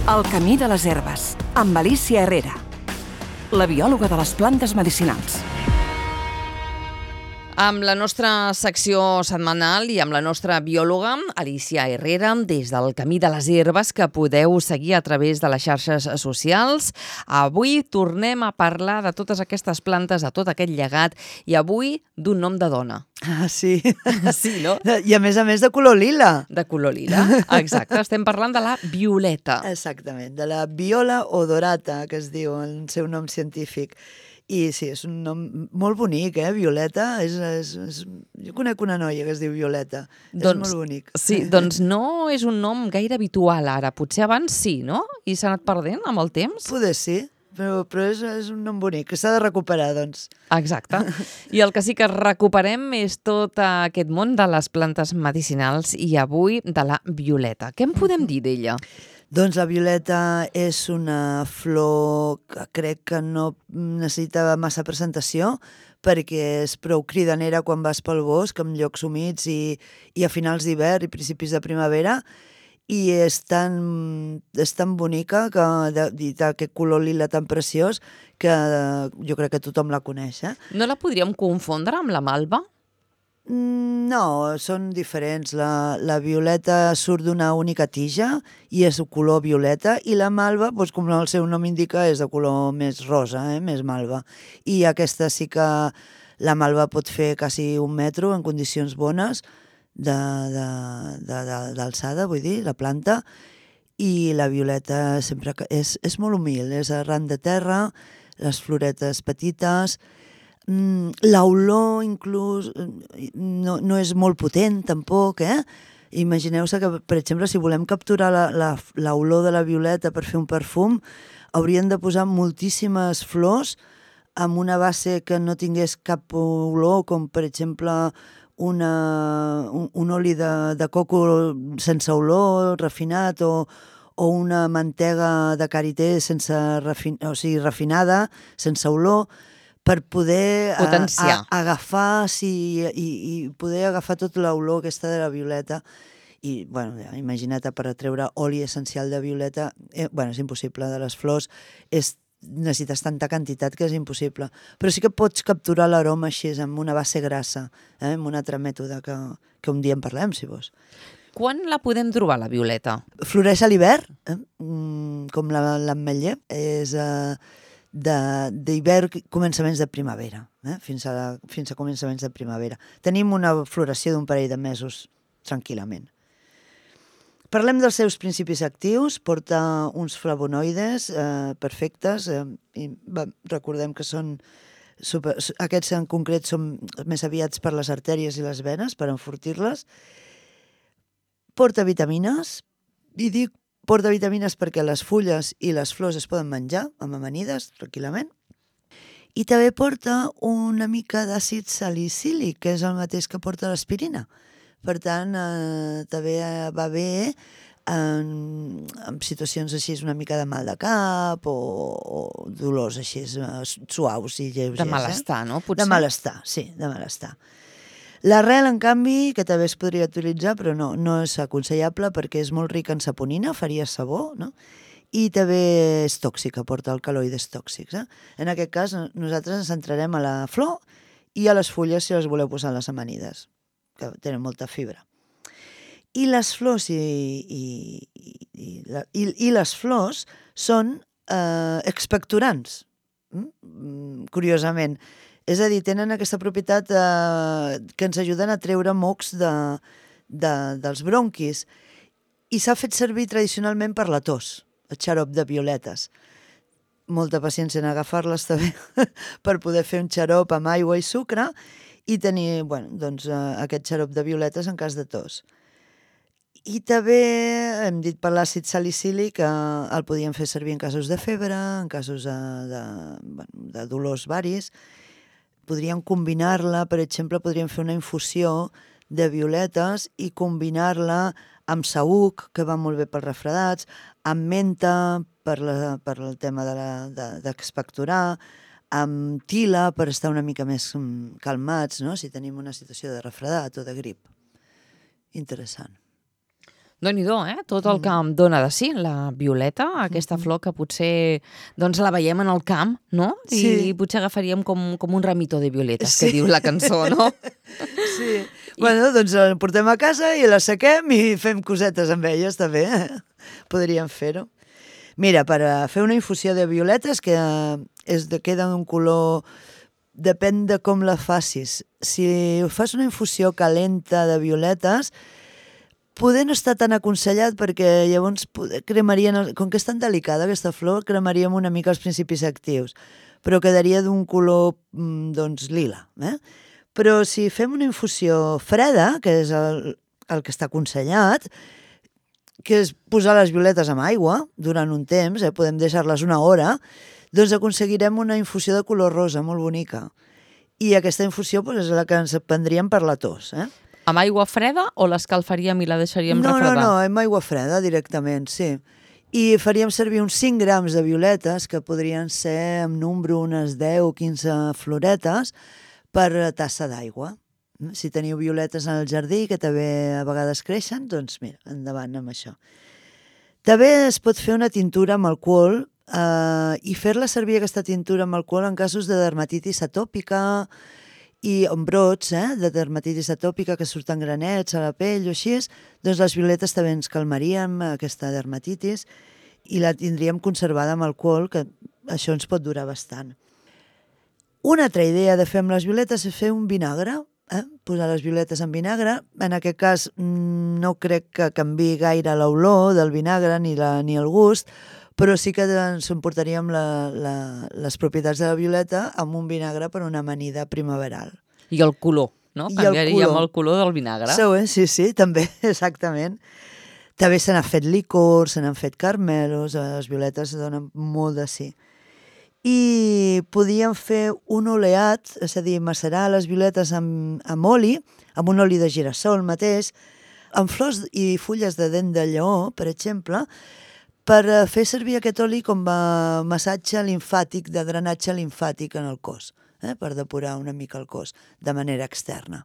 El camí de les herbes, amb Alicia Herrera, la biòloga de les plantes medicinals. Amb la nostra secció setmanal i amb la nostra biòloga, Alicia Herrera, des del Camí de les Herbes, que podeu seguir a través de les xarxes socials. Avui tornem a parlar de totes aquestes plantes, de tot aquest llegat, i avui d'un nom de dona. Ah, sí. Sí, no? I a més de color lila. De color lila, exacte. Estem parlant de la violeta. Exactament, de la Viola odorata, que es diu el seu nom científic. I sí, és un nom molt bonic, Violeta. Jo conec una noia que es diu Violeta. És molt bonic. Sí, doncs no és un nom gaire habitual ara. Potser abans sí, no? I s'ha anat perdent amb el temps? Poder sí, però és un nom bonic, que s'ha de recuperar, doncs. Exacte. I el que sí que recuperem és tot aquest món de les plantes medicinals i avui de la violeta. Què en podem dir d'ella? Doncs la violeta és una flor que crec que no necessita massa presentació perquè és prou cridanera quan vas pel bosc, en llocs humits i a finals d'hivern i principis de primavera, i és tan bonica i d'aquest color lila tan preciós que jo crec que tothom la coneix. No la podríem confondre amb la malva? No, són diferents. La violeta surt d'una única tija i és de color violeta, i la malva, doncs, com el seu nom indica, és de color més rosa, més malva. I aquesta sí que la malva pot fer quasi 1 metro en condicions bones d'alçada, vull dir, la planta, i la violeta sempre és molt humil, és arran de terra, les floretes petites. L'olor inclús no és molt potent tampoc, Imagineu-se que, per exemple, si volem capturar l'olor de la violeta per fer un perfum, haurien de posar moltíssimes flors amb una base que no tingués cap olor, com per exemple un oli de coco sense olor, refinat, o una mantega de karité refinada, sense olor, per poder agafar i poder agafar tota l'olor aquesta de la violeta. I, bueno, imagina't, per treure oli essencial de violeta, és impossible. De les flors necessites tanta quantitat que és impossible. Però sí que pots capturar l'aroma així, amb una base grassa, amb un altre mètode que un dia en parlem, si vols. Quan la podem trobar, la violeta? Floreix a l'hivern, com l'ametller. És d'hivern, començaments de primavera, fins a començaments de primavera. Tenim una floració d'un parell de mesos, tranquil·lament. Parlem dels seus principis actius. Porta uns flavonoides perfectes, i recordem que són aquests en concret són més aviats per les artèries i les venes, per enfortir-les. Porta vitamines, i dic porta vitamines perquè les fulles i les flors es poden menjar amb amanides, tranquil·lament. I també porta una mica d'àcid salicílic, que és el mateix que porta l'aspirina. Per tant, també va bé en situacions així, una mica de mal de cap o dolors així suaus i lleugers. De malestar, no? Potser? De malestar, sí, de malestar. L'arrel, en canvi, que també es podria utilitzar, però no és aconsellable perquè és molt rica en saponina, faria sabó, no? I també és tòxica, porta alcaloides tòxics. En aquest cas, nosaltres ens centrarem a la flor i a les fulles, si les voleu posar a les amanides, que tenen molta fibra. I les flors les flors són expectorants, curiosament. És a dir, tenen aquesta propietat que ens ajuden a treure mocs dels bronquis. I s'ha fet servir tradicionalment per la tos, el xarop de violetes. Molta paciència en agafar-les també per poder fer un xarop amb aigua i sucre i tenir aquest xarop de violetes en cas de tos. I també hem dit per l'àcid salicílic, el podíem fer servir en casos de febre, en casos de dolors varis. Podríem combinar-la, per exemple, podríem fer una infusió de violetes i combinar-la amb saüc, que va molt bé pels refredats, amb menta per el tema d'expectorar, amb tila per estar una mica més calmats, no? Si tenim una situació de refredat o de grip. Interessant. Déu-n'hi-do, tot el que em dona de si, la violeta, aquesta flor que potser doncs, la veiem en el camp, no? Sí. I potser agafaríem com un ramito de violetes, que diu la cançó, no? Sí. Bueno, doncs la portem a casa i la sequem i fem cosetes amb elles, també. Podríem fer-ho. Mira, per fer una infusió de violetes, que queda un color... Depèn de com la facis. Si fas una infusió calenta de violetes, poder no està tan aconsellat perquè llavors cremarien, com que és tan delicada aquesta flor, cremaríem una mica els principis actius, però quedaria d'un color doncs lila. Però si fem una infusió freda, que és el que està aconsellat, que és posar les violetes amb aigua durant un temps, podem deixar-les una hora, doncs aconseguirem una infusió de color rosa molt bonica. I aquesta infusió és la que ens prendríem per la tos. Amb aigua freda o l'escalfaríem i la deixaríem refredar? No, amb aigua freda directament, sí. I faríem servir uns 5 grams de violetes, que podrien ser en número unes 10 o 15 floretes, per tassa d'aigua. Si teniu violetes en el jardí, que també a vegades creixen, doncs mira, endavant amb això. També es pot fer una tintura amb alcohol i fer-la servir aquesta tintura amb alcohol en casos de dermatitis atòpica i en brots de dermatitis atòpica que surten granets a la pell o així, doncs les violetes també ens calmarien aquesta dermatitis i la tindríem conservada amb alcohol, que això ens pot durar bastant. Una altra idea de fer amb les violetes és fer un vinagre, posar les violetes en vinagre. En aquest cas no crec que canviï gaire l'olor del vinagre ni el gust, però sí que ens emportaríem les propietats de la violeta amb un vinagre per una amanida primaveral. I el color, no? Canviaríem el color del vinagre. Sí, també, exactament. També se n'ha fet licor, se n'han fet carmelos, les violetes donen molt de sí. I podíem fer un oleat, és a dir, macerar les violetes amb oli, amb un oli de girassol mateix, amb flors i fulles de dent de lleó, per exemple, per fer servir aquest oli com a massatge limfàtic, de drenatge limfàtic en el cos, per depurar una mica el cos de manera externa.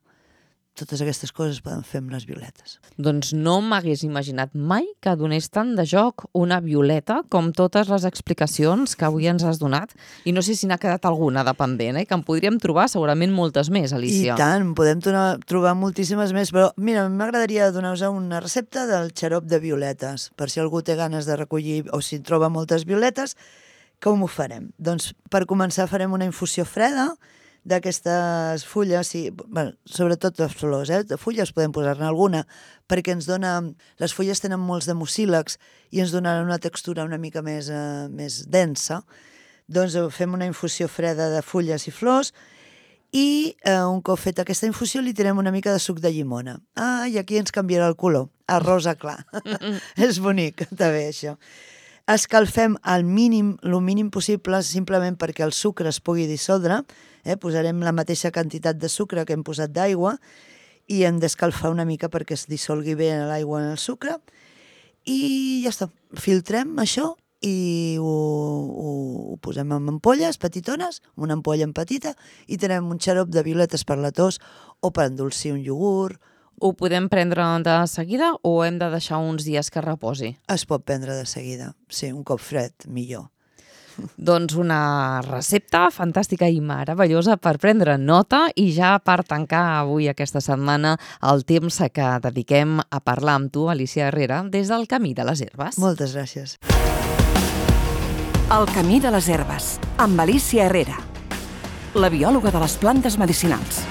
Totes aquestes coses es poden fer amb les violetes. Doncs no m'hagués imaginat mai que donés tant de joc una violeta com totes les explicacions que avui ens has donat. I no sé si n'ha quedat alguna de pendent, que en podríem trobar segurament moltes més, Alicia. I tant, podem trobar moltíssimes més, però mira, m'agradaria donar-vos una recepta del xarop de violetes, per si algú té ganes de recollir o si troba moltes violetes, com ho farem? Doncs per començar farem una infusió freda d'aquestes fulles, sobretot les flors, de fulles podem posar-ne alguna, perquè ens dona, les fulles tenen molts de mucílags i ens donaran una textura una mica més densa. Doncs fem una infusió freda de fulles i flors i un cop feta aquesta infusió li tirem una mica de suc de llimona. I aquí ens canviarà el color, a rosa clar. És bonic, també, això. Escalfem el mínim possible, simplement perquè el sucre es pugui dissoldre. Posarem la mateixa quantitat de sucre que hem posat d'aigua i hem d'escalfar una mica perquè es dissolgui bé l'aigua en el sucre. I ja està. Filtrem això i ho posem en ampolles petitones, una ampolla en petita, i tenim un xarop de violetes per la tos o per endolcir un iogurt. Ho podem prendre de seguida o hem de deixar uns dies que reposi? Es pot prendre de seguida, sí, un cop fred, millor. Doncs una recepta fantàstica i meravellosa per prendre nota i ja per tancar avui aquesta setmana el temps que dediquem a parlar amb tu, Alicia Herrera, des del Camí de les Herbes. Moltes gràcies. El Camí de les Herbes, amb Alicia Herrera, la biòloga de les plantes medicinals.